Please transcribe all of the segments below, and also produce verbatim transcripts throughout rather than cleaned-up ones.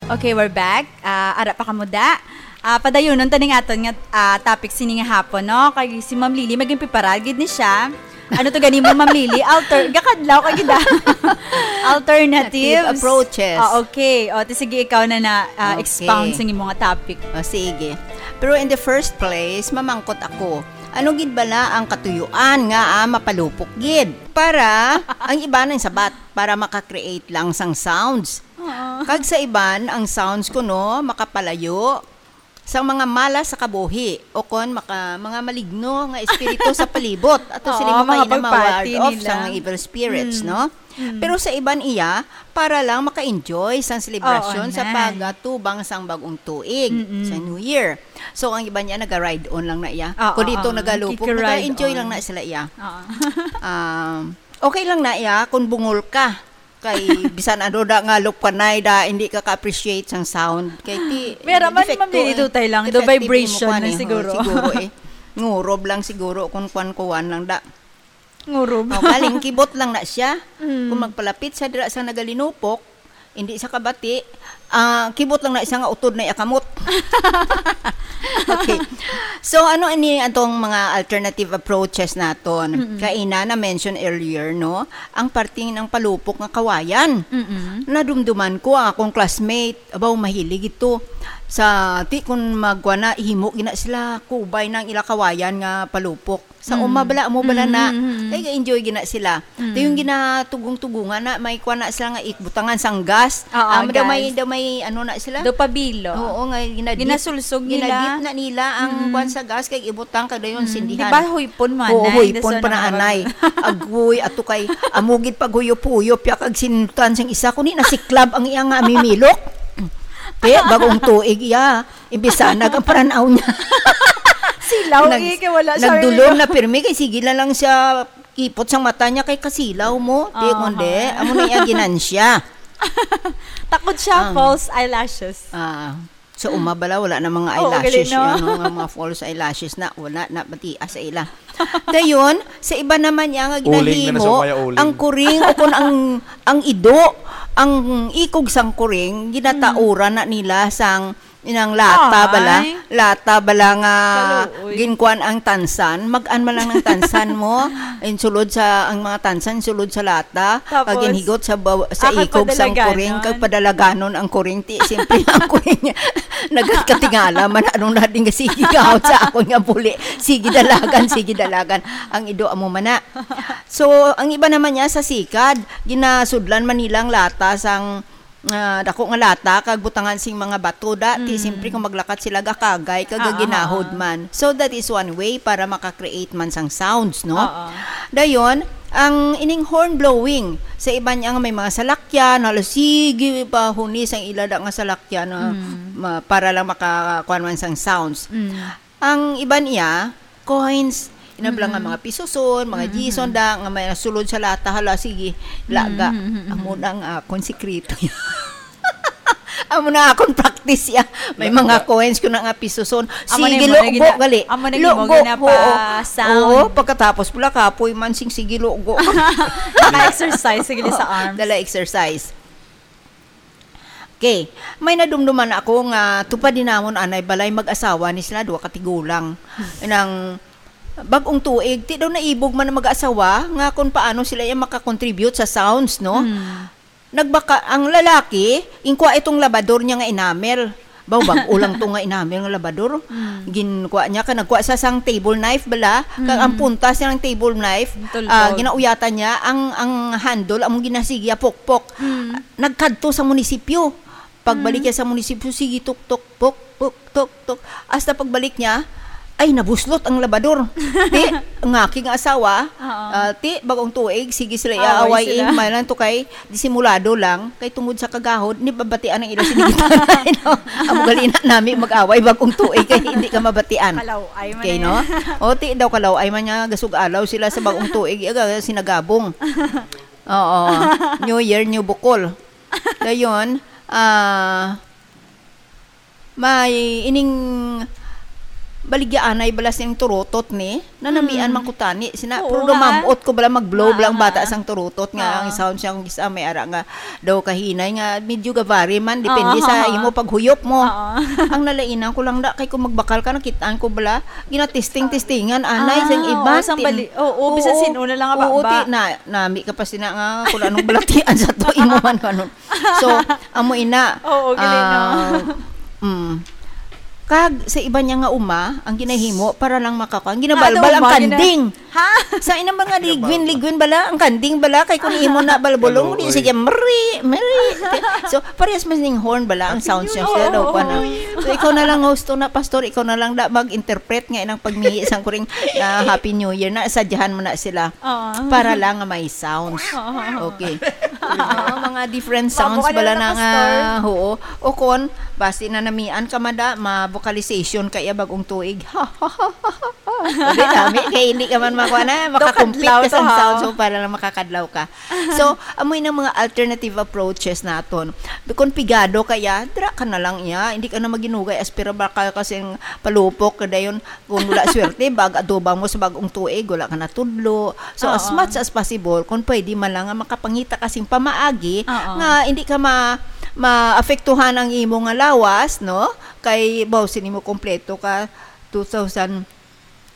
Okay, we're back. Ah, ara pa kamo da. Ah, padayunon ta ning aton nga, ah, topic sini nga hapon, no? Kay si Ma'am Lily, maging preparar gid ni siya. Ano to gani mo, Ma'am Lily? Alter, gakadlaw ka gid, ah. Alternative approaches. Ah, okay. O, ti sige, ikaw na na, ah, Okay. expound sa imo nga topic. O, sige. Pero in the first place, mamangkot ako, ano gid bala ang katuyuan nga, ah, mapalupok gid? Para ang iba nang sabat, para maka-create lang sang sounds. Oo. Kag sa iban, ang sounds kuno makapalayo sa mga malas sa kabuhi, o kon maka-, mga maligno nga espiritu sa palibot. Ato Oo, sila mga makaila ma-ward pagpati off nila. Sa mga evil spirits, Mm. no? Mm. Pero sa iban iya, para lang maka-enjoy sang selebrasyon Oo, sa na. Pagatubang sang bagong tuig, Mm-mm. sa New Year. So, ang iban niya naga-ride on lang na iya. Oo, Kung dito oo. Nagalupok, Kikiride naga-enjoy on. Lang na sila iya. Oo. Um, okay lang na iya kung bungol ka. Kay bisan ano da nga lupkanay da, hindi ka ka-appreciate sang sound. Kay ti, Pero man, defecto, ma'am, eh. Dito tayo lang. The Defective vibration imo kwan, na eh. Siguro. Oh, siguro, eh. Ngurob lang siguro kung kwan-kuan lang da. Ngurob. Oh, galing, kibot lang na siya. Mm. Kung magpalapit sa dira sa nagalinupok, hindi sa kabati, ah, kibot lang na siya nga utod na iya kamot. Okay. So, ano ini atong mga alternative approaches naton? Mm-mm. Kaina na-mention earlier, no? Ang parte ng palupok nga kawayan. Mm-mm. Nadumduman ko ang akong classmate, abaw, mahilig ito. Sa, ti, kung magwa na, himo gina sila, kubay ng ila kawayan nga palupok. Sa Mm. uma bala, amo bala Mm, na, mm, mm. Kay enjoy gina sila. Mm. Ti yung ginatugong-tugungan na, may kwa na sila nga ikbutangan sang gas. Oo, Amo daw may, gas. Daw may, ano na sila? Daw pabilo. Oo, nga ginadip. Ginasulsog nila. Ginadip na nila ang Mm. kwan sa gas, kay ibutang, kag dayon Mm. sindihan. Di ba huypon mo, Oo, anay? Huypon Dason pa na, ang anay. Agoy, ato kay, amo gid paghuyop-huyop, ya kag sinutan sang isa, kundi nasiklab ang iya nga amimilok. Te, bagong tuig iya. Imbis sana ang paranaw niya. Silaw, Nag-, eh, kay wala siya nagdulom rin. Na pirmi, kay sige na lang siya ipot sang mata niya kay kasilaw mo. Di Aha. Kundi, amo na iya ginansya. Takot siya, Ah. false eyelashes. Ah, sa uma bala, wala na mga Oo, eyelashes, galing, no? Ano, nga mga false eyelashes na, wala na, matias sa ila. Dayon, sa iba naman niya nga Uling na ginahimo, sa umaya uling. Ang kuring o kung ang, ang ido, ang ikog sang kuring, ginatauran na nila sang inang lata Ay. Bala, lata bala nga Kaluoy. Ginkuan ang tansan, mag-an man lang ng tansan mo, insulod sa, ang mga tansan, insulod sa lata, Tapos, pag ginhigot sa baw-, sa ah, kag ikog sang padalaganon. Kuring, kag padalaganon ang kuring, ti, siyempre ang kuring niya, nagkatingala man, anong na din nga sige gahot sa akon nga buli, sige dalagan, sige dalagan, ang ido amo man na. So, ang iba naman niya sa sikad, ginasudlan man nila ang lata sang, ah, dako nga lata, kag butangan sing mga bato da, ti Mm. siyempre kung maglakat sila, gakagay, kag Ah, ah, ginahod ah. Man. So, that is one way para maka-create man sang sounds, no? Oo. Dayon, ang ining horn blowing, sa iban niya nga may mga salakyan, hala, sige, pahuni sang ila da nga salakyan, ah, Mm. ma-, para lang makakuan man sang sounds. Mm. Ang iban iya, coins, ina bala nga Mm. mga pisuson, mga Mm, mm, gison mm. Da, nga may nasulod sa lata, hala, sige, laga. Mm, mm, mm, mm. Amo na ang akon sikreto. Amo na akon practice ya. May mga coins ko na nga pisuson. Amo na Sige, yung mga lugo, gina-, gali. Amo na yung Lugo, mga ginapa-, oo. Sound. Oo, pagkatapos pula, kapoy man, sing sige, lugo. Naka-exercise, sige, sa arms. Dala exercise. Okay. May nadumduman ako nga tupad din namon anay balay mag-asawa ni sila, duha ka tigulang. Nang bagong tuig, ti daw naibog man ang mag-asawa nga kung paano sila yung makakontribute sa sounds, no? Hmm. Nagbaka, ang lalaki, ingkwa itong labador niya nga enamel. Baw, bag-o lang to nga enamel nga labador. Mm. Ginkuha niya, ka nagkuha sa sang table knife bala, kag ang Mm. puntas niya ng table knife, Tulpog. Ah, ginauyatan niya, ang, ang handle, among ginasigya, pokpok. Mm. Nagkadto sa munisipyo. Pagbalik Mm. niya sa munisipyo, sige, tuk, tuk, pok, pok, tuk, tuk. Hasta pagbalik niya, ay, nabuslot ang labador. Ti, ang aking asawa, Oo. Ah, ti, bagong tuig, sige sila Away iaaway, sila. Eh, may lang to kay disimulado lang, kay tungod sa kagahod, ni babatian ang ila sinigitan. No? Amo gali na nami mag-away, bagong tuig, kay hindi ka mabatian. Kalaw-ay man Okay, eh. No? O, ti, daw kalaw-ay man nga, gasug-alaw sila sa bagong tuig, aga, sinagabong. Oo. New Year, new bukol. Dayon, ah, may ining, baligyaanay bala sing turutot ni, nanamian Mm. man ko tani, sina, Oo pero nga. dumamot ko bala, mag-blow Nga, bala ang bata nga. sang turutot nga, Oo. ang sound siya, kung isa may ara nga daw kahinay nga, medyo gavari man, depende Oo. sa imo paghuyop mo. Oo. Ang nalainan ko lang da, kay kung magbakal ka, nakitaan ko bala, ginatesting-testingan, anay, Ah, sang iba, oo, sang tin-, bali-, oo, bisan oo, sino na lang nga oo, baba. ti-, na, nami ka pa sina nga, kung anong balatian sa to, imo man, ano. So, amo ina. Oo, gali, no? Ah, mm. Kag sa iba niya nga uma, ang ginahimo para lang makakuha. Ang Ano, ginabalbal ang uma, gina-, kanding. Ha? Sa inang mga ligwin-ligwin bala, ang kanding bala, kay kung imo na balbulong, Ano, di oy. sige, mri, mri. So, parehas man ning horn bala, ang sound siya, Oo, siya daw, oo, kuwan, ah. oo. So, ikaw na lang, host, na, pastor, ikaw na lang da mag-interpret nga inang pagmihi sang kuring, ah, Happy New Year na, sadyahan mo na sila. Oo. Para lang nga may sounds. Oo. Okay. Oo, mga different sounds Mabukal bala na na, nga, pastor. oo. O kon, basi na namian ka, mada, ma-vocalization ka iya bagong tuig. Hindi, dami. Kay hindi ka man makuha na, makakumpit Kadlaw ka to, sa ha? sounds, so para lang makakadlaw ka. So, amoy nang mga alternative approaches naton. Kung pigado ka iya, dira ka na lang iya. Hindi ka na maginugay, aspira bakal ka sing palupok, ka dayon, kung wala swerte, bag adoba mo sa bagong tuig, wala ka natudlo. So, as Oo. much as possible, kung pwede man lang nga makapangita ka sing pamaagi Oo. nga hindi ka ma-, maapektuhan ang imo nga lawas, no? Kay, baw, sini mo kompleto ka, two thousand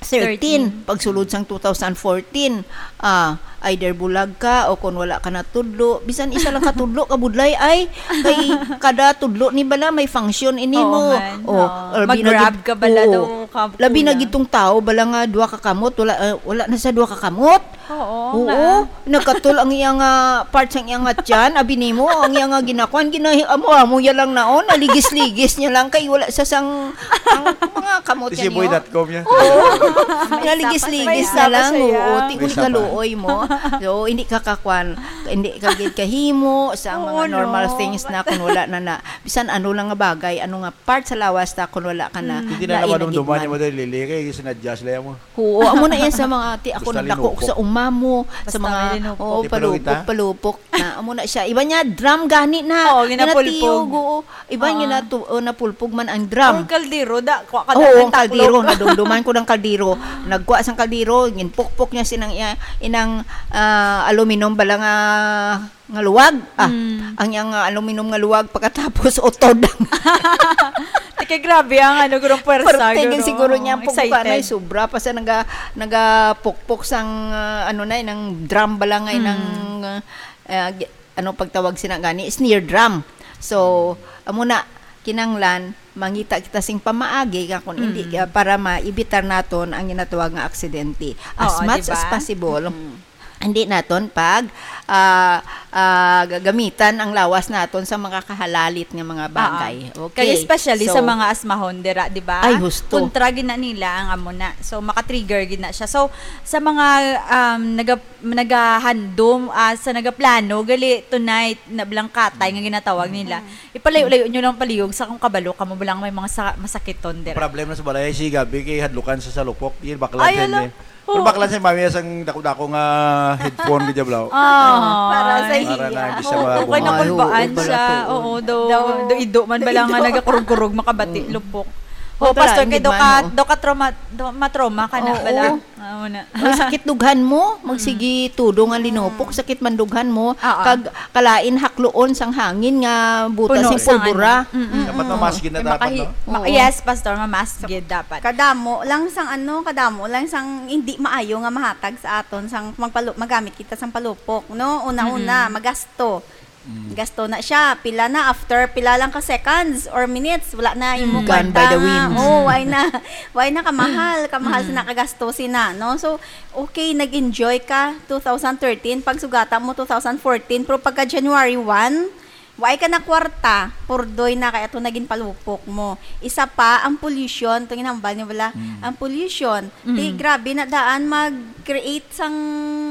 thirteen, Thirteen. pagsulod sang two thousand fourteen, ah, either bulag ka o kung wala ka natudlo, bisan isa lang ka tudlo, kabudlay ay, kay kada tudlo ni bala may function ini Oo, mo. man. Oh, Oo. labi na Mag-grab gid-, ka bala oo. daw ka Labi na kulang. gitong tao bala nga duha ka kamot, wala, ah, wala na sa duha ka kamot. Oo, Oo, nga. nagkatul ang iyang, ah, part sang iyang, ah, tiyan, abi nimo, ang iyang, ah, ginakuan, ginahi-, amo, amo ya lang naon, naligis-ligis niya lang kay wala sa sang, ang mga kamot Isi niyo. boy dot com niya. Oo. May isa pa Naligis-ligis siya. na May isa pa lang, siya. oo, tiil May isa pa. kaluoy mo. So, hindi ka kakwan, hindi ka gid kahimo sa Oo, mga normal no. things na kung wala na na, bisan ano lang nga bagay, ano nga part sa lawas ta kung wala ka na, Mm. Hindi na lain naman na gid dumduman man. niya mo dahil lili, kay sinadya sila mo. Oo, amo na yan sa mga, ti, ako Basta nadako ko linupok. sa uma mo, sa Basta mga, may linupok. oo, Di pa daw palupok, kita? palupok na. Amo na siya. Iba niya, drum gani na. Oo, ginapulpog. Ginatiyog, oo. Iba niya Oo. na tu-, oh, napulpog man ang drum. Or kaldero, da, kwa ka Oo, da, ang ang taklo. kaldero, nadumduman ko ng kaldero. Nagkuha sang kaldero, ginpukpok niya sinang iya, inang, ah, aluminum bala nga, nga luwag. Ah, Mm. ang iyang, ah, aluminum nga luwag, pagkatapos utod. Ti kay grabe ang ano, gurong puwersa, Pero tingin guro. siguro niya ang Excited. pagkukuha na, sobra pa sa naga-, nagapukpok sang, ah, ano na, nang drum bala nga, Mm. nang, ah, ah, gi-, ano pagtawag sina gani, snare drum. So, amo na, kinanglan, mangita kita sing pamaagi, ka kung hindi, Mm. ah, para maibitar naton ang ginatawag nga aksidente. As Oo, much di as ba? possible, Mm. hindi naton pag, ah, ah, gagamitan ang lawas naton sa mga kahalalit nga mga Oo. bagay. Okay. Kaya especially So, sa mga asmahon dira, di ba? Ay, husto. Kontra gid na nila ang amo na. So, maka-trigger gid na siya. So, sa mga, um, naga-, nagahandom, ah, sa nagaplano, gali tonight, na blang katay nga ginatawag nila. Mm. Ipalayo-layo nyo lang palihog sa kung kabalo kamo ba lang may mga sa-, masakiton dira. Ang problema sa balay, si Gabi kay hadlukan sa salupok. Yun, bakla Ay, din ala. eh. Pero Oo. bakla si Mami, sang dako-dako nga headphone ka dyan, bro. Ah. Para sa Para na hiya. hindi siya Oo, mabuhay. okay, nakulbaan Ay, oo, siya. pala to. Oo, do, Daw. do ido man bala nga Ido. nagakurog-kurog, makabati, Mm. lupok. Oh, Oh, tara, Pastor, kay hindi do man, ka, oo. do ka trauma, do, matrauma ka na Oo. bala. Ah, wala. Ang sakit dughan mo, Mm. magsige tudo nga linupok, Oo. sakit man dughan mo, Oo. kag kalain hakloon sang hangin nga butas Puno sang sang pulbura. ano. Mm-mm. Dapat Mm. mamask gid na May dapat, makahi-, no? ma-, Oo. yes, Pastor, mamask gid dapat. Kadamo lang sang ano, kadamo lang sang hindi maayo nga mahatag sa aton sang magpalu-, magamit kita sang palupok, no? Una-una, Mm-mm. magasto. Mm. Gasto na siya. Pila na after, pila lang ka seconds or minutes, wala na imo Mm. Gone kwarta by the nga. wind. Oh, why na? Why na kamahal? Kamahal Mm. sina kagasto sina, no? So, okay, nag-enjoy ka two thousand thirteen, pagsugata mo two thousand fourteen, pero pagka January one, why ka na kwarta? Purdoy na kay ato naging palupok mo. Isa pa, ang pollution, itong ginhambal niyo wala, Mm. ang pollution. Ti, Mm. grabe na daan mag-create sang,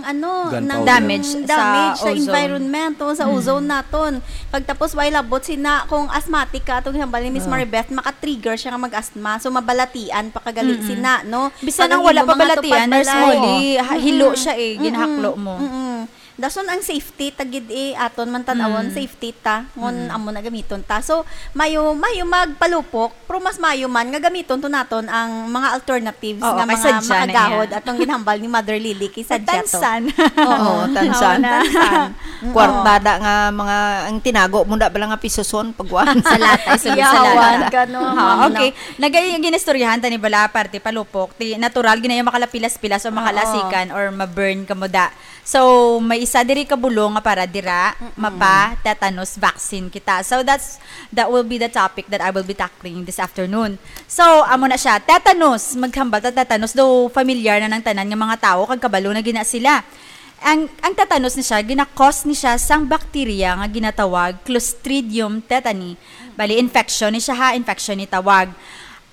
ano, Gunpowder. ng Damage sa damage sa ozone. environment, o, sa Mm. ozone naton. Pagtapos, way labot sina, kung asthmatic ka, atong ginhambal ni Miss Ah. Maribeth, maka-trigger siya nga mag-asthma. So, mabalatian pa kagali Mm-mm. sina, no? Bisan Pag ang ang wala imo pa mga balatian, tupad Nurse balay. Molly, ha-, hilo Mm-mm. siya eh, Mm-mm. ginahaklo mo. Mm-mm. Dason ang safety, tagid eh, aton man tan-awon, Mm. safety ta, ngon Mm. amo na gamiton ta. So, mayo, mayo magpalupok, pero mas mayo man nga gamiton to naton ang mga alternatives Oo, nga kay mga sadya na makagahod yan. Atong ginhambal ni Mother Lily, kay sadya to. Tansan. Oo. Oo, tansan. Amo na. Tansan. Mm. Kwartada nga mga, ang tinago mo na bala nga pisuson, pagwan. Sa lata, isulod sa Iyawan lata. ka, no? Ha, Ma'am, okay. no? Nagay-, ginistoryahan ta ni bala, parte palupok. Ti, natural, ginaya makalapilas-pilas o Oo. makalasikan or ma-burn ka mo da. So, may isa diri ka bulong nga para dira, Mm-mm. mapa-tetanus vaccine kita. So, that's, that will be the topic that I will be tackling this afternoon. So, amo na siya. Tetanus. Maghambal ta tetanus. Though familiar na ng tanan nga mga tawo, kag kabalo na gina sila. Ang, ang tetanus ni siya, gina-cause ni siya sang bakterya nga ginatawag Clostridium tetani. Bali, infection ni siya ha, infection ni tawag.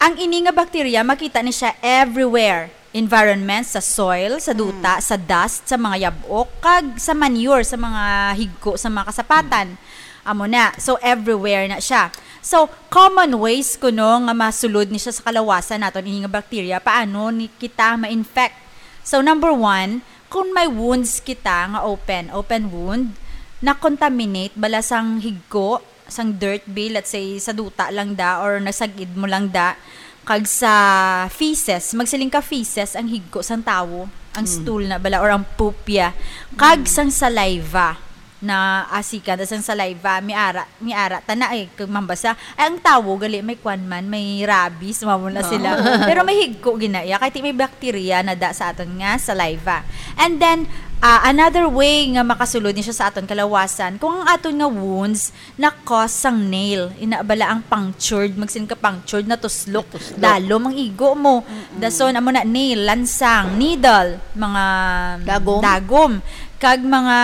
Ang ini nga bakterya, makita ni siya everywhere. Environment, sa soil, sa duta, Mm. sa dust, sa mga yab-ok, kag sa manure, sa mga higko, sa mga kasapatan. Mm. Amo na. So, everywhere na siya. So, common ways kuno nga masulod ni siya sa kalawasan naton ini nga bakterya. Paano ni kita ma-infect? So, number one, kung may wounds kita nga open, open wound, na-contaminate bala sang higko, sang dirt bi, let's say, sa duta lang da or nasag-id mo lang da, kag sa feces, magsiling ka feces ang higko sang tawo, ang Mm. stool na bala or ang pupya, kag Mm. sang saliva na asikan, tas ang saliva, may ara, may ara, tana eh, kag mambasa. Ay, ang tawo, gali, may kwan man, may rabies, mamo na sila. Oo. Pero may higko ginaya, kay ti may bakterya na da sa aton nga saliva. And then, ah, another way nga makasulod ni siya sa aton kalawasan, kung ang aton nga wounds na-cause sang nail, ina bala ang punctured, magsin ka punctured, natuslok, Natuslok. dalom ang igo mo. Mm-mm. Dason, amo na, nail, lansang, needle, mga Dagom. dagom. Kag mga,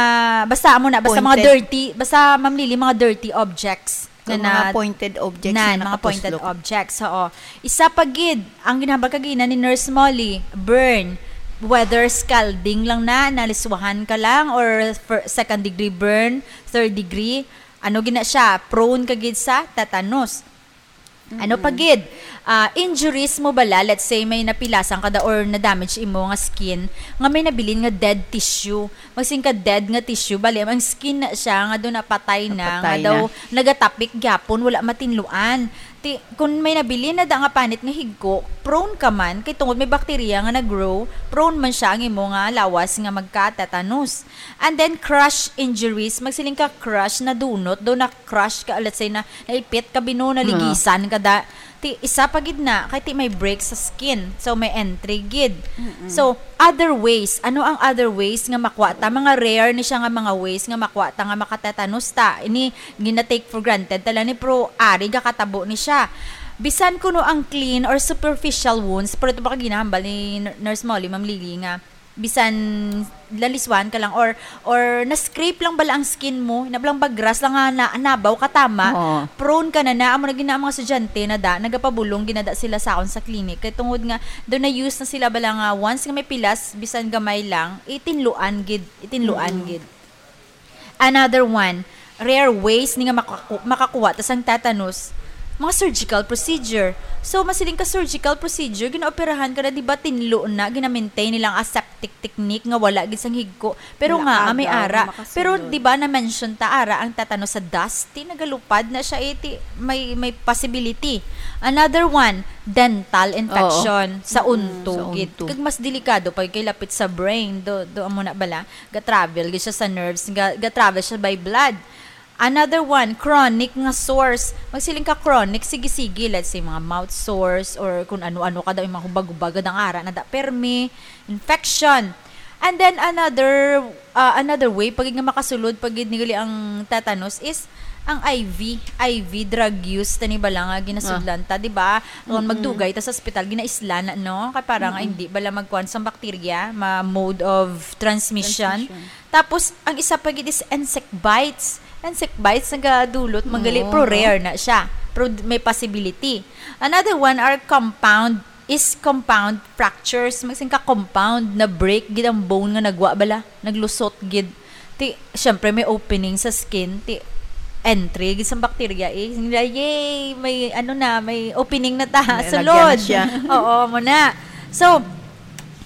basta amo na, basta mga Pointed. dirty, basta, Ma'am Lily, mga dirty objects. Kag na mga na-, pointed objects nan, na mga pointed nakatuslok. objects, oo. Isa pa gid, ang ginhambal kagina ni Nurse Molly, burn. Whether scalding lang na, naliswahan ka lang, or fir-, second degree burn, third degree, ano gina siya, prone ka gid sa tetanus. Ano pa Mm-mm. gid? Ah, injuries mo bala, let's say may napilasan ka da or na-damage imo nga skin, nga may nabilin nga dead tissue. Magsin ka dead nga tissue, bali ang skin na siya nga do napatay na, Napatay nga daw na. nagatapik gyapon, wala matinluan. Ti, kung may nabilin na da nga panit nga higko, prone ka man, kay tungod may bakterya nga nag-grow, prone man siya ang imo nga lawas nga magka-tetanus. And then, crush injuries, magsiling ka crush, nadunot, do na-crush ka, let's say, na, naipit ka, bino, naligisan ka da. Ti, isa pa gid na, kay ti may break sa skin. So, may entry gid. Mm-mm. So, other ways. Ano ang other ways nga makuha ta? Mga rare ni siya nga mga ways nga makuha ta nga makatetanus ta. Ini, gina-take for granted ta lang ni, pero ari gakatabo ni siya. Bisan kuno ang clean or superficial wounds, pero ito ba ka ginahambal ni N-, Nurse Molly, Ma'am Lily, nga bisan laliswan ka lang or, or na-scrape lang bala ang skin mo, na lang bagras lang nga na, nabaw ka tama, Oo. prone ka na na, amo na gina ang mga estudyante na da, nagapabulong ginada sila sa akon sa clinic. Kay tungod nga, do na-use na sila bala nga, once nga may pilas, bisan gamay lang, itinluan gid, itinluan Mm. gid. Another one, rare ways ni nga makaku-, makakuha ta sang tetanus, mga surgical procedure. So, masiling ka surgical procedure, ginaoperahan ka na, di ba, tinlo na, gina-maintain nilang aseptic technique nga wala gid sang higko. Pero Wala nga, ah, may aga, ara. makasulod. Pero di ba na-mention ta, ara ang tetanus sa dust? Ti nagalupad na siya, eh, ti may, may possibility. Another one, dental infection Oo. sa Mm, unto sa gid. unto. Kag mas delikado pa kay lapit sa brain. Do, do amo na bala. Ga-travel gid siya sa nerves, ga, ga-travel siya by blood. Another one, chronic nga sores. Magsiling ka chronic, sige-sige, let's say, mga mouth sores or kung ano-ano ka daw, yung mga hubag-hubag, ang ara na da, permi, infection. And then another, ah, another way, pag nga makasulod, pag gid nili ang tetanus is ang I V, I V drug use, tani bala nga ginasudlan ta, di ba? Kung Mm-mm. magdugay ta sa ospital, ginaisla na, no? Kay para nga Mm-mm. hindi bala magkuhan sa bakterya, ma-mode of transmission. Transmission. Tapos, ang isa pa gid is insect bites. Insect bites, nagadulot, manggali, Oo, pero no? rare na siya. Pero d-, may possibility. Another one are compound, is compound fractures. Magsin ka compound, na-break gid ang bone nga nagwa bala, naglusot gid. Ti, syempre, may opening sa skin. Ti, entry gid sa bakterya, eh. Sing nila, "Yay! May, ano na, may opening na ta. May Sulod." lagyan na siya. Oo, mo na. So,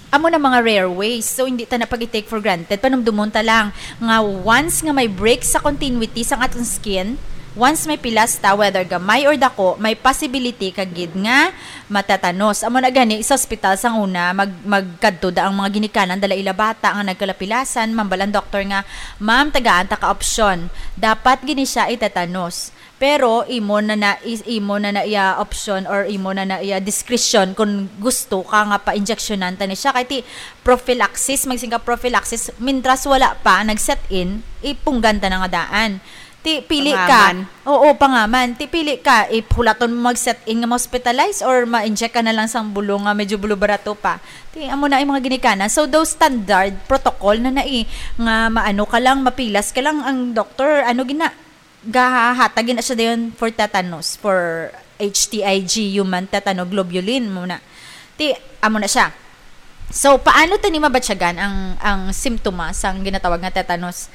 Amo na mga rare ways. So, hindi ta na pag-take for granted. Panumdumon ta lang nga once nga may break sa continuity sang aton skin, once may pilas ta, whether gamay or dako, may possibility ka gid nga matatanos. Amo na gani sa ospital sang una, mag-, magkadto da ang mga ginikanan dala ila bata nga nagkalapilasan, mambal ang doktor nga, "Ma'am, tagaan ta ka opsyon. Dapat gini siya itatanos." Pero imo na na, is-, imo na na iya option or imo na na iya discretion kung gusto ka nga pa-injeksyonan ta ni siya. Kay ti prophylaxis, magsinga prophylaxis, mintras wala pa nag-set in, ipunggan ta na nga daan. Ti pili ka. Pangaman. Oo, pangaman. Ti pili ka, ipulaton mo mag-set in nga ma-hospitalize or ma-inject ka na lang sang bulong nga medyo bulubarato pa. Ti amo na yung mga ginikanan. So, those standard protocol na nai nga maano ka lang, mapilas ka lang ang doktor, ano gina, gahatag na siya dayon for tetanus, for H T I G, human tetanoglobulin muna. Ti, amo na siya. So, paano ta ni mabatyagan ang, ang simptoma sang ginatawag nga tetanus?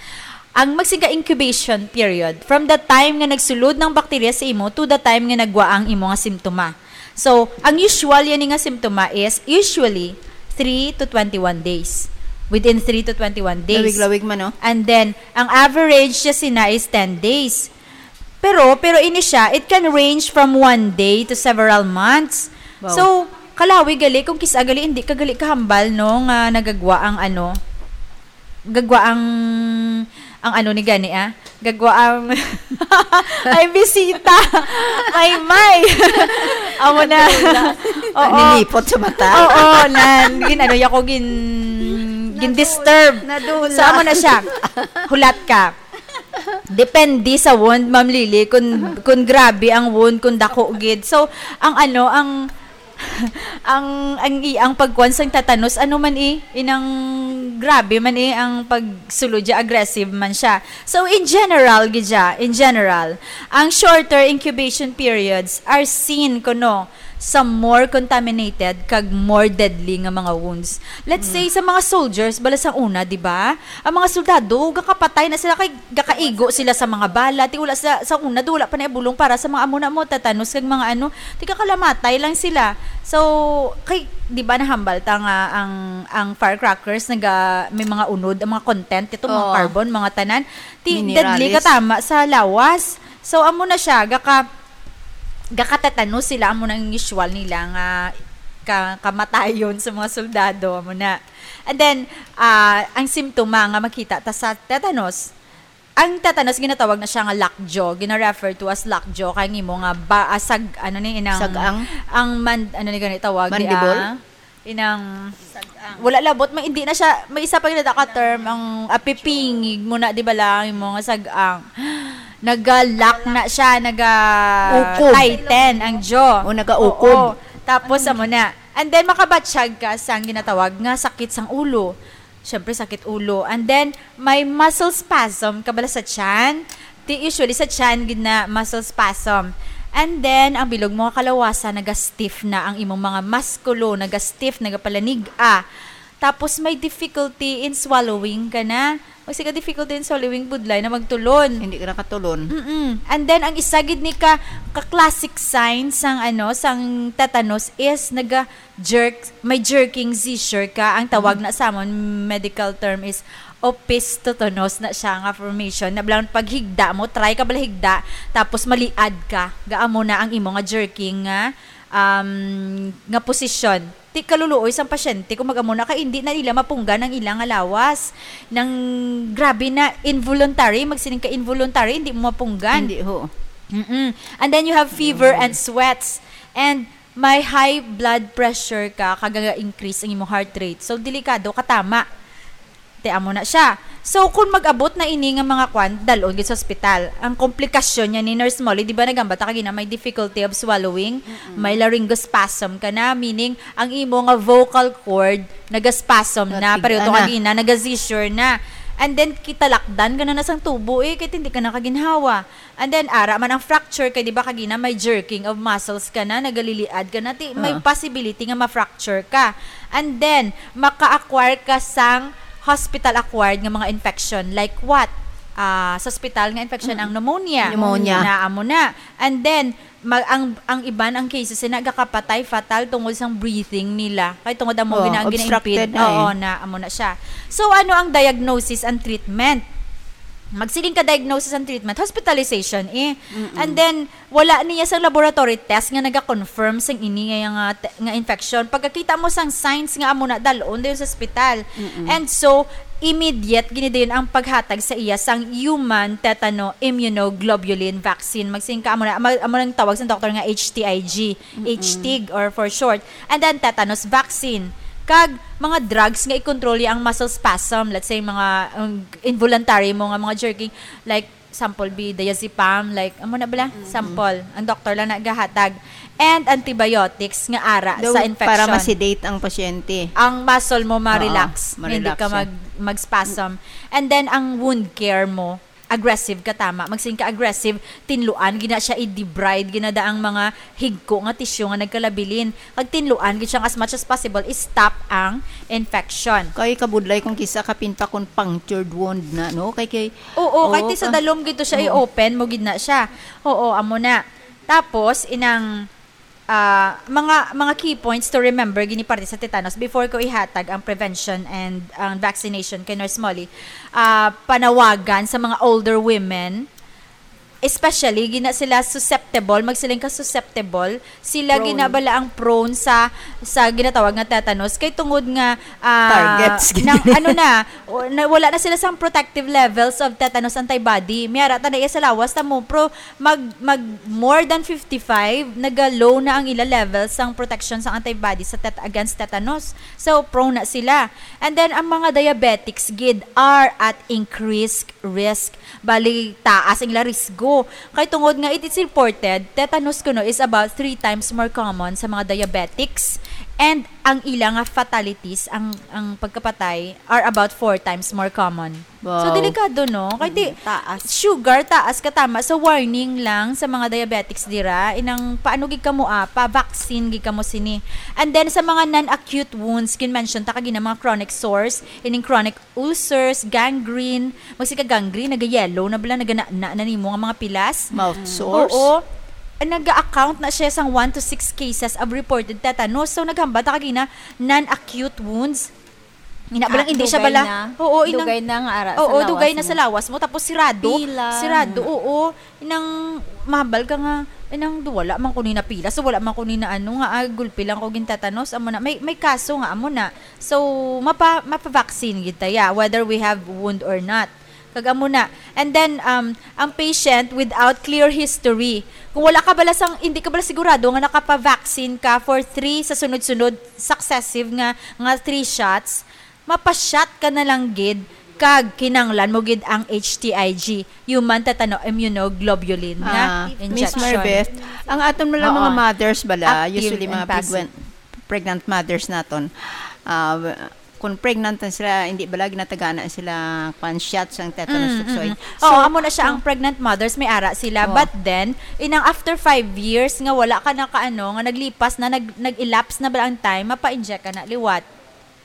Ang magsinga incubation period, from the time nga nagsulod ng bakterya sa imo to the time nga nagwa ang imo nga simptoma. So, ang usual yan nga simptoma is usually three to twenty-one days. Within three to twenty-one days. Lawig-lawig man, no? And then, ang average siya sina is ten days. Pero, pero ini siya, it can range from one day to several months. Wow. So, kalawi gali kung kis-a gali, hindi ka gali kahambal, no, nga nagagwa ang ano, gagwa ang, ang ano ni gani, ah? Gagwa ang, ay, bisita. Ay, may. Amo na. Oo. Nilipot sa mata. Oo, nan. Gin, ano, ako gin, gin-disturb. Nadula. So, amo na siya. Hulat ka. Depende sa wound, Ma'am Lily, kung, kung grabe ang wound, kung dako gid. So, ang ano, ang, ang, ang iyang pagkuan sang tetanus, ano man eh, inang grabe man eh, ang pagsulod siya, aggressive man siya. So, in general, gid siya, in general, ang shorter incubation periods are seen, kuno, sa more contaminated kag more deadly nga mga wounds. Let's say, sa mga soldiers, bala sang una, di ba? Ang mga soldado, gakapatay na sila, kay gakaigo sila sa mga bala. Ti wala sa, sa una, do, wala pa na bulong para sa mga amo na mo, tetanus, kag mga ano. Ti kakalamatay lang sila. So, kay, di ba, nahambal ta nga ang, ang firecrackers, naga, may mga unod, ang mga content, ito, mga Oo. carbon, mga tanan. Ti, deadly Minerales. Katama sa lawas. So, amo na siya, gaka, gakatetanus sila, amo na ang usual nila nga ka-, kamatayon sa mga soldado, amo na. And then, ah, ang simptoma nga makita ta sa tetanus, ang tetanus ginatawag na siya nga lockjaw, gina-refer to as lockjaw, kay ang imo nga ba, ah, sag-, ano ni, inang, Sag-ang? Ang man-, ano ni gani tawag, di, Mandible? Ah? Inang, wala labot, may, hindi na siya, may isa pa gid na ka term, ang apipingig mo na, di ba lang, yung mga sag-ang. Naga-lock na siya, naga Ukob. Tighten ang jaw. O, naga-ukob. Oo. Tapos, amo na. And then, makabatsyag ka sa ang ginatawag nga sakit sang ulo. Siyempre, sakit ulo. And then, may muscle spasm, kabala sa tiyan. Ti, usually, sa tiyan, gid na muscle spasm. And then, ang bilog mo nga kalawasan, naga-stiff na ang imong mga muskulo, naga-stiff, nagapalanig-a. Tapos, may difficulty in swallowing ka na. Magsiga difficulty in swallowing, budlay na magtulon. Hindi ka nakatulon. Mm-mm. And then, ang isa gid ni ka, ka classic sign sang, ano, sang tetanus is naga-jerk, may jerking seizure ka. Ang tawag Mm. na sa amon, medical term is opistotonos na siya nga formation. Na bilang paghigda mo, try ka bala higda, tapos maliad ka. Gaamo na ang imo nga jerking nga, um, nga posisyon. Ti kaluluoy sang pasyente kung mag-amo na kay hindi na nila mapunggan ang ilang nga lawas. Nang grabe na involuntary, magsining ka involuntary, hindi mo mapunggan. Hindi, ho. Mm-mm. And then you have fever and sweats. And may high blood pressure ka, kag ga-increase ang imong heart rate. So, delikado, katama. Ti amo na siya. So, kung mag-abot na ini nga mga kwan, dalon gid sa ospital. Ang komplikasyon niya ni Nurse Molly, di ba nagamba ta kagina may difficulty of swallowing, may laryngospasm ka na, meaning ang imo nga vocal cord nagaspasm na, Natig-, pareho to ana. Kagina, naga-seizure na. And then, kitalakdan ka na na sang tubo eh, kahit hindi ka nakaginhawa. And then, ara man ang fracture, kay di ba kagina may jerking of muscles ka na, nagaliliad ka na, ti, may Ah. possibility nga ma-fracture ka. And then, maka-acquire ka sang hospital-acquired nga mga infection. Like what? ah, sa ospital nga infection ang pneumonia. Pneumonia. Na amo na. And then, mag, ang, ang iban ang cases na nagakapatay fatal tungod sang breathing nila. Kay tungod amo Oh, gina-, obstructed gina-impede. Na eh. Oo, na amo na siya. So, ano ang diagnosis and treatment? Magsiling ka diagnosis and treatment, hospitalization eh. And then, wala niya sa laboratory test nga naga-confirm sang ini nga, nga, te-, nga infection. Pagkakita mo sang signs nga amo na, dal-on dayon sa ospital. And so, immediate gini dayon ang paghatag sa iya sang human tetano immunoglobulin vaccine. Magsiling ka, amo na, amo, amo nang tawag sa doktor nga H T I G, H T I G or for short. And then tetanus vaccine. Kag mga drugs nga i-control ang muscle spasm, let's say mga, um, involuntary mo nga mga jerking, like sample be diazepam, like, amo na bala? Sample. Ang doktor lang nagahatag. And antibiotics nga ara Daw sa infection. Para ma-sedate ang pasyente. Ang muscle mo ma-relax, Oo, hindi ma-relax ka siya. Mag, mag-spasm. And then, ang wound care mo, aggressive ka, tama. Magsiling ka aggressive, tinluan, gina siya i-debride, ginada ang mga higko nga tisyo nga nagkalabilin. Kag tinluan, gid siya as much as possible, i-stop ang infection. Kay kabudlay kung kisa ka pinpakon punctured wound na, no? Kay, kay Oo, Oo, kahit sa ka- dalom gid to siya, Oo. i-open mo gid na siya. Oo, amo na. Tapos, inang, ah, mga, mga key points to remember gini parte sa tetanus before ko ihatag ang prevention and ang vaccination kay Nurse Molly. Ah, panawagan sa mga older women, especially, gina sila susceptible, magsiling ka susceptible, sila Prone. Ginabala ang prone sa, sa ginatawag nga tetanus. Kay tungod nga, ah, Targets, nang, gid. Ano na, o, na, wala na sila sa protective levels of tetanus antibody. May ara ta na iya sa lawas, tamo, pro, mag, mag more than fifty-five, naga-low na ang ila levels sang protection sang antibody sa tet-, against tetanus. So, prone na sila. And then, ang mga diabetics, gid, are at increased risk. Bali, taas ang ila risgo. Kay tungod nga it is reported, tetanus kuno is about three times more common sa mga diabetics, and ang ila nga fatalities, ang, ang pagkapatay, are about four times more common. So, Wow. Delikado, no? Kay di, Mm, taas. Sugar, taas ka, tama. So, warning lang sa mga diabetics dira, inang paano gid kamo, ah, pa-vaccine gid kamo sini. And then, sa mga non-acute wounds, kin-mention ta kagina, mga chronic sores, ining chronic ulcers, gangrene, magsika gangrene, naga-yellow na bala, naganana na nimo nga mga pilas. Mouth sores. Oo. Naga-account na siya sang one to six cases of reported tetanus. So, naghambal ta kagina, non-acute wounds. Ina, balang Ah, hindi siya dugay bala. Na. Oo, inang, Dugay na nga ara sa oo, lawas dugay na mo. Sa lawas mo. Tapos sirado. Pila. Sirado, oo. Inang mahambal ka nga, inang wala man ko ni napila. So, wala man ko ni na ano nga, ah, gulpi lang ko gintatanos. Amo na, may, may kaso nga, amo na. So, mapa-, mapa-vaccine gid ta, yeah, whether we have wound or not. Kag amo na. And then, um, ang patient without clear history. Kung wala ka bala sang, hindi ka bala sigurado nga nakapa-vaccine ka for three sa sunod-sunod, successive nga, nga three shots, mapa-shot ka na lang gid, kag kinahanglan mo gid ang H T I G, human tetano immunoglobulin nga Ah, Miss injection. Maribeth, ang aton mo lang Oo. Mga mothers bala, Active usually and mga passive. Pregnant, pregnant mothers naton, ah, kung pregnant na sila, hindi bala ginatagaan na sila kwan shots ang tetanus Mm, toxoid. Mm. So, oo, amo na siya, so, ang pregnant mothers, may ara sila. Oo. But then, inang after five years nga wala ka nakaano, nga naglipas na, nag-, nag-elapse na ba ang time, mapa-inject ka na liwat.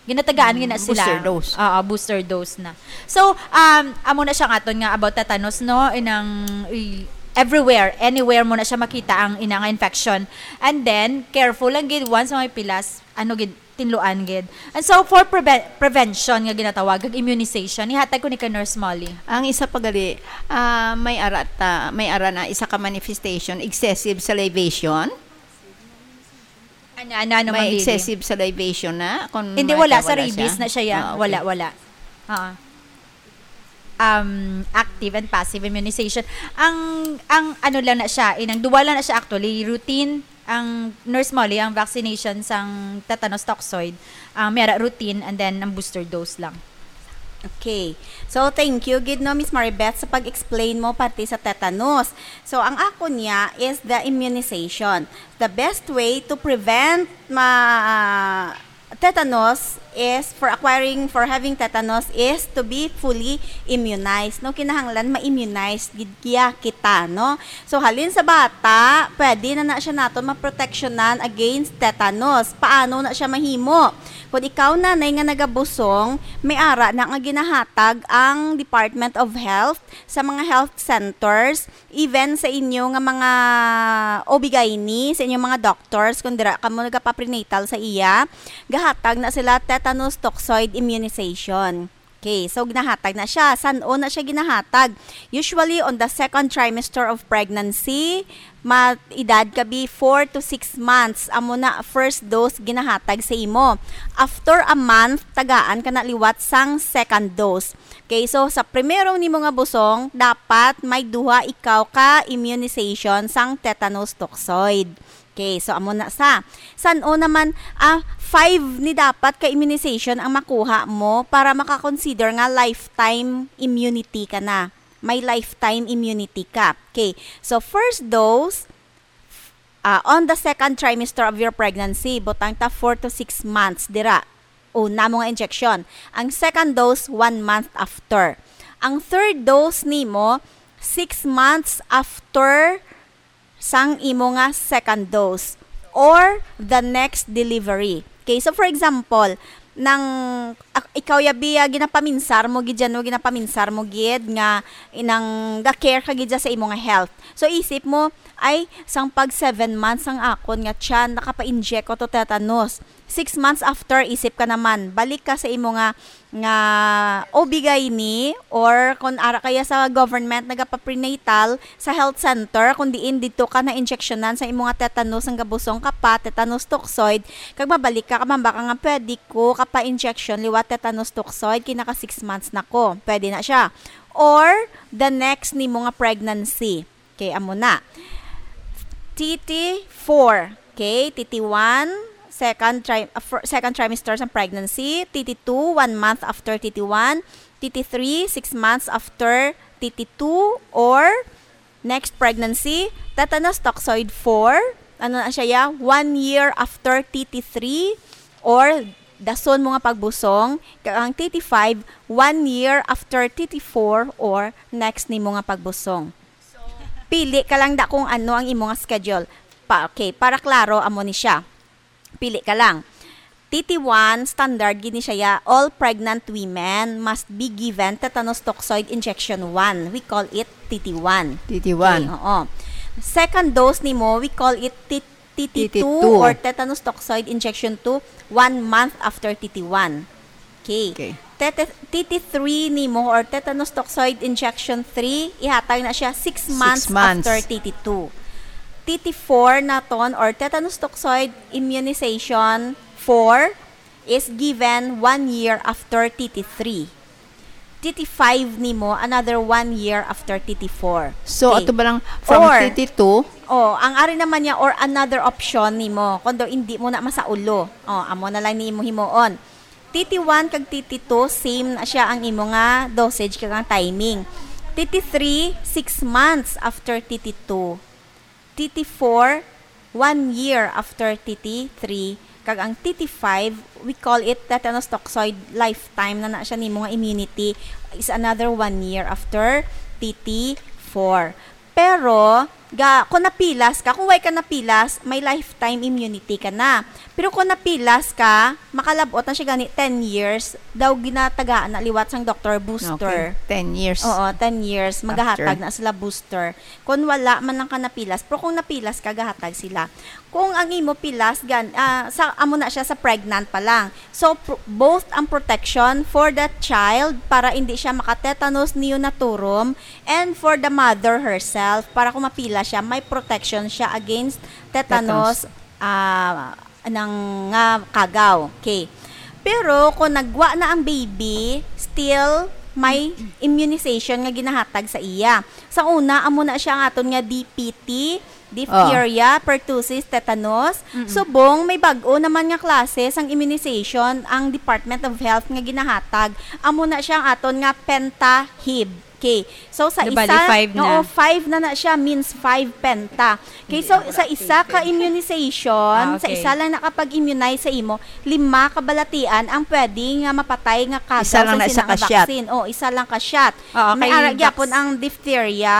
Ginatagaan Mm, gina sila. Booster dose. Oo, booster dose na. So, um, amo na siya nga aton nga about tetanus, no? Inang, i-, everywhere, anywhere mo na siya makita ang ina nga infection. And then, careful lang gid once may pilas, ano gid, tinluan gid. And so, for preve-, prevention nga ginatawag, kag immunization, ihatag ko ni ka Nurse Molly. Ang isa pa gali, ah, may ara ta, may ara na isa ka manifestation, excessive salivation. Ano, ano, ano, May Ma'am Lily? Excessive salivation na, kung Hindi, may wala. Sa wala rabies siya? Na siya, ya. Ah, okay. Wala, wala. Oo. Um, active and passive immunization. Ang, ang ano lang na siya, inang duwa lang na siya actually, routine, ang Nurse Molly, ang vaccination sang tetanus toxoid, ang mera routine, and then ang booster dose lang. Okay. So, thank you gid, no, Miss Maribeth, sa pag-explain mo parte sa tetanus. So, ang ako niya is the immunization. The best way to prevent ma-, ah, tetanus is for acquiring, for having tetanus is to be fully immunized, no? Kinahanglan ma-immunize gid kiya kita, no? So, halin sa bata, pwede na na siya naton maproteksyonan against tetanus. Paano na siya mahimo? Kung ikaw, nanay, nga nagabusong, may ara na nga ginahatag ang Department of Health sa mga health centers, even sa inyo nga mga O B gyne, sa inyong mga doctors, kung dira kamo nagapaprenatal sa iya, gahatag na sila tetanus toxoid immunization. Okay, so ginahatag na siya. San-o na siya ginahatag? Usually, on the second trimester of pregnancy, ma-, edad ka bi four to six months, amo na first dose ginahatag sa imo. After a month, tagaan ka na liwat sang second dose. Okay, so sa primero nimo nga busong, dapat may duha ikaw ka immunization sang tetanus toxoid. Okay, so amo na sa. San-o naman, ah, five ni dapat ka immunization ang makuha mo para maka-consider nga lifetime immunity ka na. May lifetime immunity ka. Okay, so first dose, ah, on the second trimester of your pregnancy, butang ta four to six months dira. Una mo nga injection. Ang second dose, one month after. Ang third dose nimo, six months after sang imo nga second dose or the next delivery. Okay, so for example, nang ak-, ikaw, yabi, ah, ginapaminsar mo gid dyan, no? Ginapaminsar mo gid nga inang ga-care ka gid dyan sa imo nga health. So isip mo, ay, sang pag seven months ang akon nga tiyan, nakapa-inject ko to tetanus. Six months after, isip ka naman, balik ka sa imo nga, nga O B gyne, or kung ara kaya sa government nagapaprenatal, sa health center, kung diin dito ka na-injectionan sa imo nga tetanus, ang gabusong ka pa, tetanus toxoid, kag mabalik ka, kamamba ka nga pwede ko kapa-injection liwat tetanus toxoid, kay naka six months na ko. Pwede na siya. Or, the next nimo nga pregnancy. Okay, amo na. T T four. Okay, T T one, second tri-, uh, fir-, second trimester sa pregnancy. T T two, one month after T T one. T T three, six months after T T two or next pregnancy. Tetanus toxoid four, ano na siya, ya? One year after T T three or dason mo nga pagbusong. Kag ang T T five, one year after T T four or next nimo nga pagbusong. Pili ka lang da kung ano ang imo nga schedule. Pa, okay, para klaro, amo ni siya. Pili ka lang. T T one, standard gid ni siya, ya, all pregnant women must be given tetanus toxoid injection one. We call it T T one. T T one. Okay, oo. Second dose nimo, we call it T-, T T two T T two. Or tetanus toxoid injection two, one month after T T one. Okay. Okay. Tete-, T T three nimo or tetanus toxoid injection three, ihatag na siya six Six months months. after T T two. T T four naton or tetanus toxoid immunization four is given one year after T T three. T T five nimo, another one year after T T four. So, Okay. ato ba lang from Or, T T two? Oh, ang ari naman niya, or another option nimo, kung daw hindi mo na masaulo. Oh, amo na lang nimo himuon. T T one kag T T two, same na siya ang imo nga dosage kag ang timing. T T three, six months after T T two. T T four, one year after T T three. Kag ang T T five, we call it tetanus toxoid lifetime na na siya nimo nga immunity is another one year after T T four. Pero, ga, kung napilas ka, kung way ka napilas, may lifetime immunity ka na. Pero kung napilas ka, makalabot na siya gani ten years, daw ginatagaan na liwat sang doktor booster. Okay, ten years Oo, ten years, after. Magahatag na sila booster. Kung wala man lang ka napilas, pero kung napilas ka, gahatag sila. Kung ang imo pilas, gan, ah, sa, amo na siya sa pregnant pa lang. So, pr-, both ang protection for the child para hindi siya maka-tetanus neonatorum and for the mother herself, para kung mapila siya, may protection siya against tetanus, Tetanus. ah, ng, nga kagaw. Okay. Pero kung nagwa na ang baby, still may immunization nga ginahatag sa iya. Sa una, amo na siya ang aton nga D P T, diphtheria, Oh. pertussis, tetanus. Mm-mm. Subong, may bag-o naman nga klase sang immunization ang Department of Health nga ginahatag. Amo na siya ang aton nga pentahib. Okay. So, sa Di bali, isa, five na. Oo, five na na siya, means five penta. Okay, so, sa isa ka immunization, Ah, sa okay. isa lang nakapag-immunize sa imo, lima ka balatian ang pwede nga mapatay nga kagaw Isa lang sa na isa sinang ka shot. vaccine. Oh, isa lang ka shot. Oo, May kay ara gyapon vax- ang diphtheria,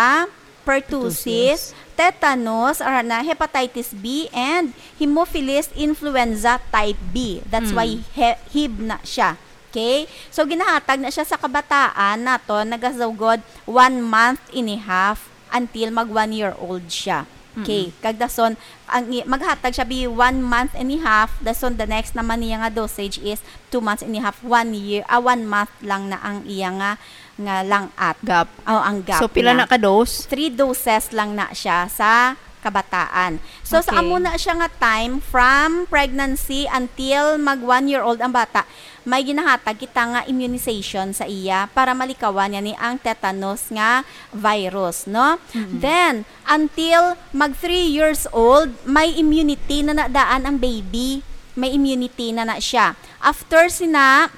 pertussis, Pertussis. tetanus, ara na, hepatitis B, and Haemophilus influenza type B. That's Mm. why he- hib na siya. Okay? So, ginahatag na siya sa kabataan naton, nagasugod one month and a half until mag one year old siya. Okay? Mm-mm. Kag dason, ang i- maghatag siya bi one month and a half, dason the next naman niya nga dosage is two months and a half, one year, ah, one month lang na ang iya nga, nga lang-at. Gap. Oh, ang gap So, pila niya. na ka dose? Three doses lang na siya sa kabataan. So, sa Okay. amo na siya nga time, from pregnancy until mag one year old ang bata, may ginahatag kita nga immunization sa iya para malikawan niya ni ang tetanus nga virus, no? Mm-mm. Then, until mag three years old, may immunity na na daan ang baby. May immunity na na siya. After sina,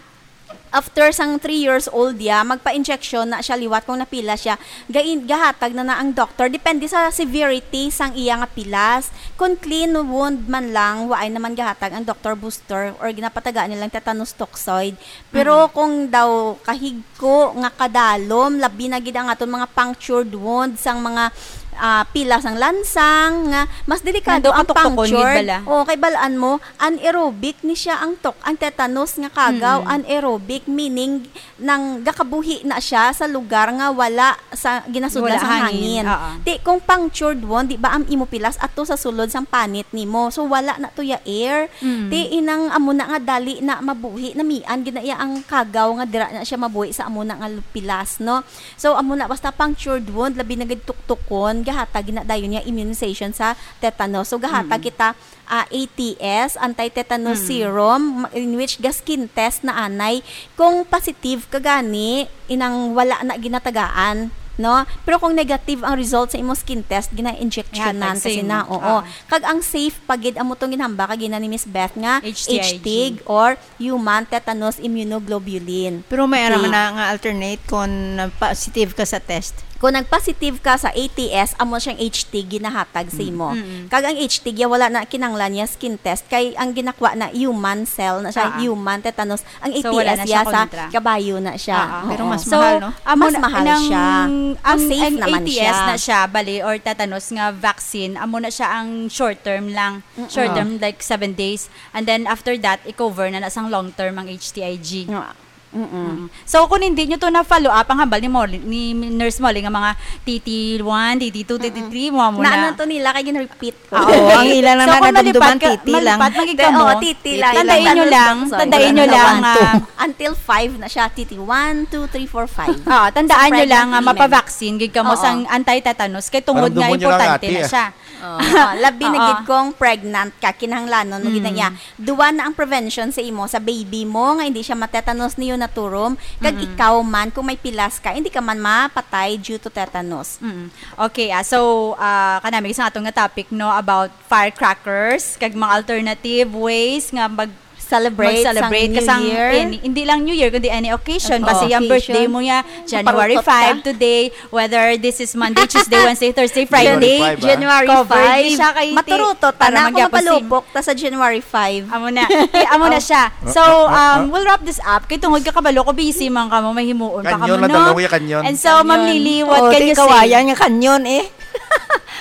after sang three years old ya, magpa-injection na siya liwat kung napila siya. Gain-, gahatag na na ang doktor. Depende sa severity sang iya nga pilas. Kung clean wound man lang, waay naman gahatag ang doktor booster or ginapatagaan nilang tetanus toxoid. Pero Mm. kung daw kahigko nga kadalom, labi na gid ang aton mga punctured wound sang mga, ah, pila sang lansang, nga mas delikado Nando ang katuktukon gid punctured. bala. O, kay balaan mo, anaerobic ni siya ang tok-, ang tetanus nga kagaw, Mm. anaerobic, meaning nang gakabuhi na siya sa lugar nga wala sa ginasudlan Wala sang hangin. hangin. Oo. Ti, kung punctured wound, di ba ang imo pilas ato sa sulod sang panit nimo? So, wala na to ya air. Mm. Ti, inang amo na nga dali na mabuhi, namian gid na iya ang kagaw nga dira na siya mabuhi sa amo na nga pilas, no? So, amo na, basta punctured wound, labi na gid tuktukon, gahatag gid na dayon niya immunization sa tetanus. So, gahatag Mm. kita, ah, A T S, anti-tetanus Mm. serum, ma-, in which ga-skin test na anay. Kung positive ka gani, inang wala na ginatagaan, no? Pero kung negative ang result sa imong skin test, gina-injectionan Ihatag sa kasi imo. na, oo. Oo. Kag ang safe pa gid, amo tong ginhamba kagina ni Miss Beth nga H T I G. H T I G or human tetanus immunoglobulin. Pero may ara Okay. man na nga alternate kung positive ka sa test. Kung nag-positive ka sa A T S, amo siyang H T I G ginahatag sa Mm. imo. Mm. Kag ang H T I G ya wala na kinahanglan niya skin test kay ang ginakuha na human cell na siya, Ah. human tetanus. Ang So, wala A T S na siya ya sa kontra. kabayo na siya. Ah, ah. Pero Oo. mas So, mahal, no? Amo mas na, mahal nang, siya. Ang, Mas safe ang naman A T S siya. na siya, bali, or tetanus nga vaccine, amo na siya ang short term lang. Mm-mm. Short Ah. term, like, seven days. And then, after that, i-cover na na sang long term ang H T I G. Nga, mm-mm. Mm. So, kung hindi nyo to na-follow up, ang hambal ni Molly, ni Nurse Molly, nga mga T T one, T T two, Mm-mm. T T three, mo, mo Naano na. to nila, kay gin-repeat ko. Ah, oo, ang ila lang So, na kung nadumduman, malipad ka, T T lang. malipad man gid T T, kamo, oo, T T lang, T T lang. Tandaan nyo lang, Sorry. tandaan nyo One, lang, two. ah, Until five na siya, T T one, two, three, four, five. Ah, tandaan Sa nyo lang pregnant nga women. mapavaccine gid kamo Oo. sang anti-tetanus kay tungod Parang nga dumon nyo lang, importante ate, na ah. siya. Oo. Ah, labi na Oo. gid kung pregnant ka, kinahanglanon mo gid na Mm. iya. Duwa na ang prevention sa imo, sa baby mo nga hindi siya ma-tetanus neonatorium, kag Mm. ikaw man kung may pilas ka, hindi ka man mapatay due to tetanus. Mm. Okay, ah, so, ah, kanami sa atong nga topic, no, about firecrackers, kag mga alternative ways nga mag- Celebrate Mag-celebrate sang ka New sang Year. any, hindi lang New Year, kundi any occasion. Oo. Basta yung Occasion. birthday mo ya, January Maparukot ka. five today, whether this is Monday, Tuesday, Wednesday, Thursday, Friday. January five, ah. January Covered five. ni siya kay Maturutot, para tana, kung magyapon si mapalupok ta sa January five. Amo na. Di, amo na Oh. siya. Ah, So, ah, ah, um, ah. we'll wrap this up. Kay tungod ka kabalo ko, busy man kamo, may himuon pa Kanyon kamo, lang, no? dalawa ya kanyon. And so, Ma'am Kanyon. Lily, what Oh, can di you say? kawayan nga kanyon, eh.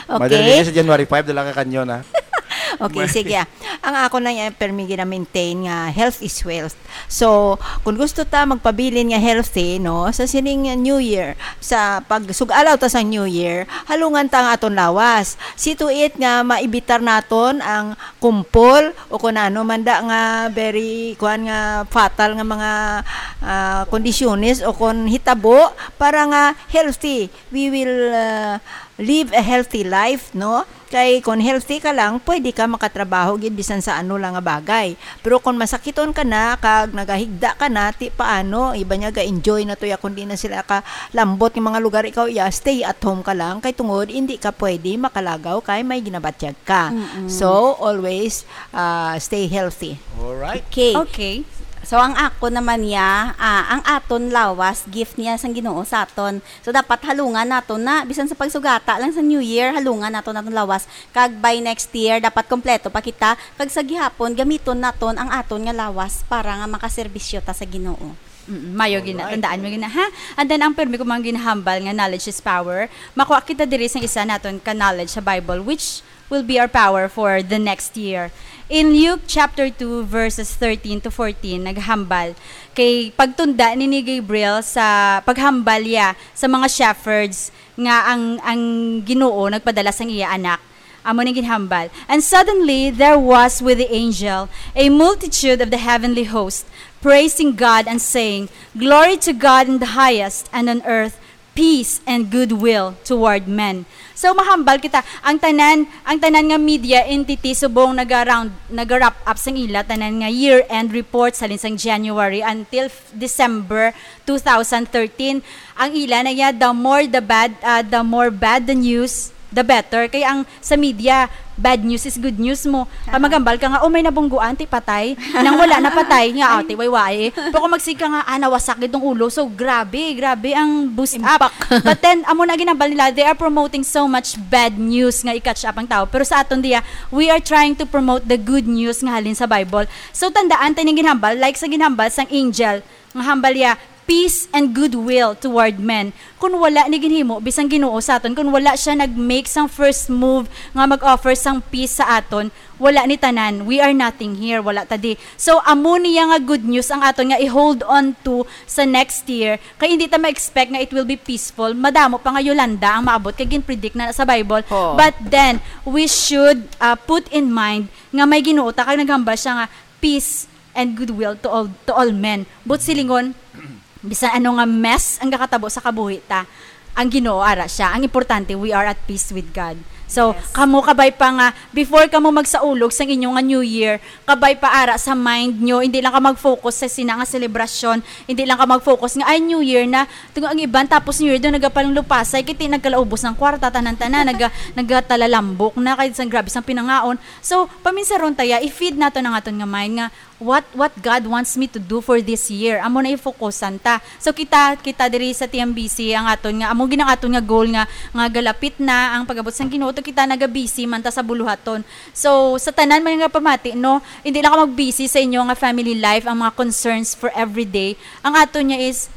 Madali Okay. sa January five, dala ka kanyon, ah. Okay, Mali. sige, ah. Ang ako na, eh, permi gina-maintain nga health is wealth. So, kung gusto ta magpabilin nga healthy, no, sa sining New Year, sa pagsug-alaw ta sa New Year, halungan ta ang aton lawas. See to it nga maibitar naton ang kumpol o kung ano man da nga very, kuwan nga fatal nga mga, ah, kondisyones o kung hitabo para nga healthy. We will, ah, live a healthy life, no? Kay kon healthy ka lang, pwede ka makatrabaho gid bisan sa ano lang nga bagay. Pero kon masakiton ka na, kag nagahigda ka na, ti paano? Iba niya ga-enjoy na to ya, kundi na sila ka lambot nga mga lugar, ikaw iya, stay at home ka lang. Kay tungod, hindi ka pwede makalagaw kay may ginabatyag ka. Mm-mm. So, always, ah, stay healthy. Alright. Okay. Okay. So, ang ako naman niya, ah, ang aton lawas, gift niya sang Ginoo sa aton. So, dapat halungan naton na, bisan sa pagsugata lang sa New Year, halungan naton aton lawas. Kag by next year, dapat kompleto pa kita. Kag sa gihapon, gamiton naton ang aton nga lawas para nga makaserbisyo ta sa Ginoo. Mm, mayo gina-, Alright. Tandaan mo gina, ha? And then, ang pirmi ko mga ginahambal nga knowledge is power, makuha kita diri sa isa naton ka knowledge sa Bible, which will be our power for the next year. In Luke chapter two, verses thirteen to fourteen, naghambal kay pagtunda ni, ni Gabriel sa paghambal ya sa mga shepherds nga ang, ang Ginoo nagpadala sang iya anak. Amo ning ginhambal. "And suddenly there was with the angel a multitude of the heavenly host, praising God and saying, 'Glory to God in the highest, and on earth peace and goodwill toward men.'" So, mahambal kita, ang tanan, ang tanan nga media entity subong naga-round, naga-wrap up sang ila tanan nga year-end reports halin sang January until f-, December two thousand thirteen. Ang ila na ya, the more the bad, ah, the more bad the news, the better. Kay ang sa media, bad news is good news mo. Kag Aha. maghambal ka nga, "Oh, may nabungguan, ti patay." Nang wala na patay, nga, "Ah, ti wayway." Pero kung magsig ka nga, "Ah, nawasak gid tong ulo." So, grabe, grabe ang boost up. Impact. But then, amo na ginhambal nila, they are promoting so much bad news nga i-catch up ang tao. Pero sa aton diya, we are trying to promote the good news nga halin sa Bible. So, tandaan tayo ning ginhambal, like sa ginhambal sang angel, nga hambal ya, "Peace and goodwill toward men." Kung wala ni ginhimo, bisang Ginoo sa aton, kung wala siya nag-make sang first move nga mag-offer sang peace sa aton, wala ni tanan. We are nothing here. Wala ta di. So, amo niya nga good news ang aton nga i-hold on to sa next year. Kay hindi ta ma-expect nga it will be peaceful. Madamo pa nga Yolanda ang maabot kay gin-predict na sa Bible. Oo. But then, we should, uh, put in mind nga may Ginoo ta kag naghambal siya nga peace and goodwill to all, to all men. But silingon, bisan ano nga mess ang gakatabo sa kabuhi ta, ang Ginoo ara siya. Ang importante, we are at peace with God. So, Yes. kamo kabay pa nga, before kamo magsaulog sang inyo nga New Year, kabay pa ara sa mind nyo, hindi lang ka mag-focus sa sina nga selebrasyon, hindi lang ka mag-focus nga, "Ay, New Year na." Tungo ang iban, tapos New Year doon, nagapalang lupasay, kiti nagkalaubos ng kwarta, tanan-tanan, naga-, nagatalalambok na, kay sang grabe sang pinangaon. So, paminsaron taya, i-feed nato ang aton nga mind nga, "What, what God wants me to do for this year?" Amo na ifokusan ta. So, kita, kita diri sa T M B C, ang aton nga, amo gid ang aton nga goal nga, nga galapit na ang pag-abot sang Ginoo, to kita naga-busy man ta sa buluhaton. So, sa tanan man nga pamati, no, hindi lang ka mag-busy sa inyo nga family life, ang mga concerns for everyday. Ang aton niya is,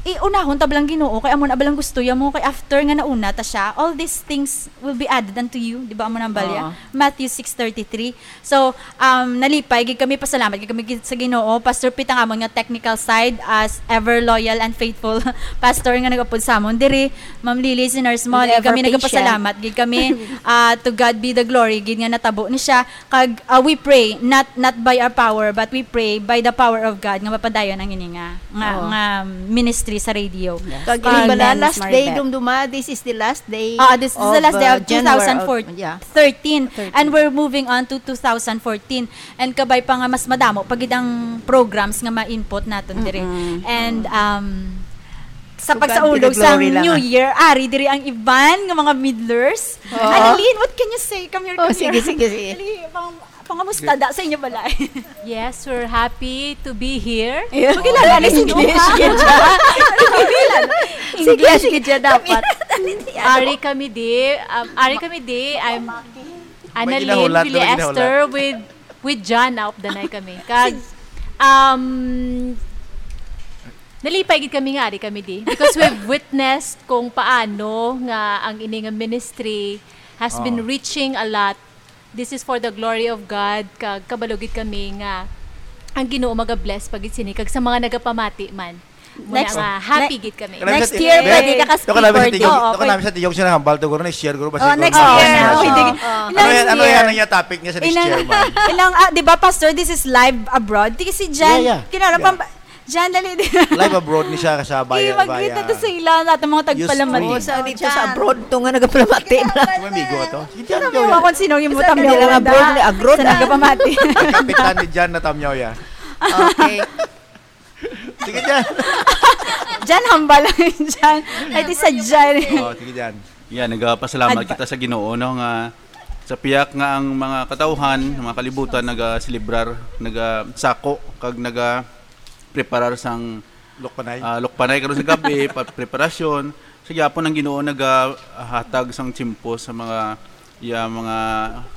iunahon ta balang Ginoo, kay amo na balang gusto ya mo, kay after nga nauna ta siya, "All these things will be added unto you," di ba, amo nang balya? Oo. Matthew six thirty-three. So, um, nalipay gid kami, pasalamat gid kami gid sa Ginoo. Pastor Pete ang amon nga technical side, as ever loyal and faithful pastor nga nagapod sa amon diri. Ma'am Lily, si Nurse Molly, And ever kami patient. nagapasalamat gid kami. Ah, to God be the glory gid nga natabo ni siya. Kag, ah, we pray, not, not by our power, but we pray by the power of God nga mapadayon ang ini nga, nga, Oo. nga ministry sa radio. Yes. Kag Amen. ini bala, Miss last day, Maribeth. Dumduma, this is the last day Ah, this is of, the last day uh, of January, two thousand four, of, yeah. thirteen. Thirteen. And we're moving on to two thousand fourteen. And kabay pa nga mas madamo pa gid ang programs nga ma-input naton diri. Mm-mm. And, um, sa To God be pagsaulog the glory sang lang, New ah. Year, ari diri ang iban nga mga midlers. Oo. Annalyn, what can you say? Come here, Oh, come sige, here. sige, sige. Dali, pang-, pangamusta da sa inyo balay? Yes, we're happy to be here. Yeah. Makilala na si English, English. English, Sige, English. sige, dyan dapat. Ari kami di, um, ari kami di, I'm May Annalyn ginahulat, may Villa ginahulat. Esther with, with John, naupdanay kami. Kag, um, nalipay gid kami nga ari kami di. Because we've witnessed kung paano nga ang ini nga ministry has been Oh. reaching a lot. This is for the glory of God. Kag kabalo gid kami nga ang Ginoo maga-bless pa gid sini. Kag sa mga nagapamati man. Muna Next, nga, happy ne-, gid kami. Kanami Next sa ti-, year, ne-, pwede ka ka-speaker Doon ka namin sa din. tiyog, Oo, doon ka pwede. namin sa tiyog, siya nahambal, to, guro, next year, guro, ba, Oh, siguro, next oh, year. next Oh, year. hindi. Oh. Ano Next yan, ano yan, year. ano yan, topic niya sa next Inang, year, man? inang, ah, di ba, Pastor, this is live abroad? Di si Jan, Yeah, yeah. kinala Yeah. pang, Jan, dali din. Live abroad ni siya, kasabay, Kaya mag-greet via na to sa ila, sa ating mga Ustream. tagpalamati. Oo, sa dito sa Jan. abroad, to nga nagpalamati. Ikaw, May amigo to. Si Jan, Ikaw, ikaw. Ako, sino yung Sa mutang kanila niya, nga abroad, wala. ni abroad, Sa ah. nagpamati. Ang kapitan ni Jan na tamyaw, ya. Okay. Sige, Jan. Jan, hambal lang yun, Jan. Ay, di sa Jan. Oo, sige, Jan. Yeah, nagapasalamat Adva- kita sa Ginoo, no, nga sa piyak nga ang mga katawhan, ang mga kalibutan, nagaselebrar, nagasako, kag naga-, preparar sang Lukpanay. ah, lukpanay karon sa gabi, pa preparasyon. Sa gyapon ang Ginoo nagahatag sang tiyempo sa mga iya mga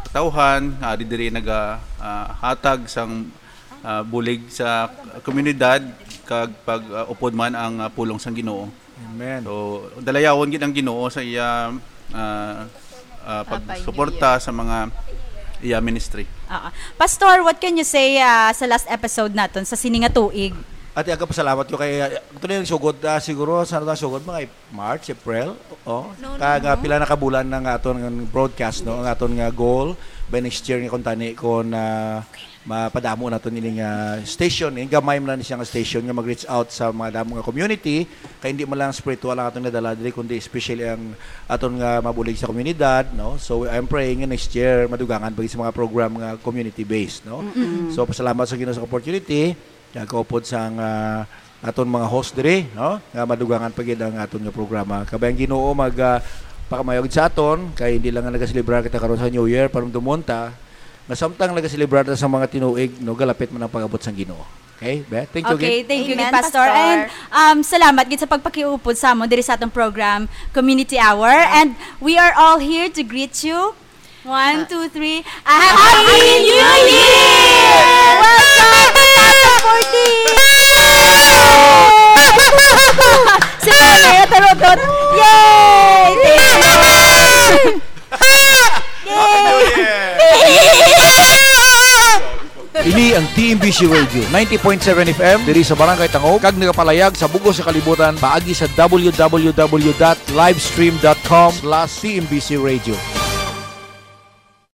katawhan nga ari diri nagahatag sang ah, bulig sa komunidad kag pag ah, upod man ang ah, pulong sang Ginoo. Amen. So, dalayawon gid ang Ginoo sa iya ah, ah, Papa pagsuporta sa mga iya ministry. Ah, Pastor, what can you say ah, sa last episode naton sa sini nga tuig? Ate, ako pasalamat ko kay uh, ito na yung sugod. Ah, siguro, sa ano sugod? Mga March, April? Oh. No, no, Kag ah, no. pila na kabulan na nga aton nga broadcast, no? Ang aton nga goal by next year nga kung tani kung ah, mapadamo naton ining ah, station, eh, gamay man lang siya nga station nga mag-reach out sa mga damo nga community, kay hindi man lang spiritual ang atong nadala diri kundi especially ang aton nga mabulig sa komunidad, no? So I'm praying nga next year madugangan pa gid sa mga program nga community based, no? So pasalamat sa Ginoo sa opportunity, nagkaupod sang ah, aton mga host diri, no? Nga madugangan pa gid ang aton nga programa. Kabay ang Ginoo mag ah, pakamayog sa aton kay hindi lang nga nagaselebrar kita karon sa New Year, panumdumon ta nga samtang nagaselebrar ta sa mga tinuig, no, galapit man ang pag-abot sang Ginoo. Okay, Beth? Thank you Okay, again. thank you, Amen, gid, Pastor. Pastor. And um, salamat gid sa pagpakiupod sa amon diri sa atong program, Community Hour. And we are all here to greet you. One, two, three. A Happy New Year! Welcome! Welcome! Si Mama, tarotot. Yay! Thank you. Ini ang T M B C Radio, ninety point seven F M, diri sa Barangay Tangog, kag nagapalayag sa bug-os nga kalibutan paagi sa W W W dot livestream dot com slash T M B C Radio.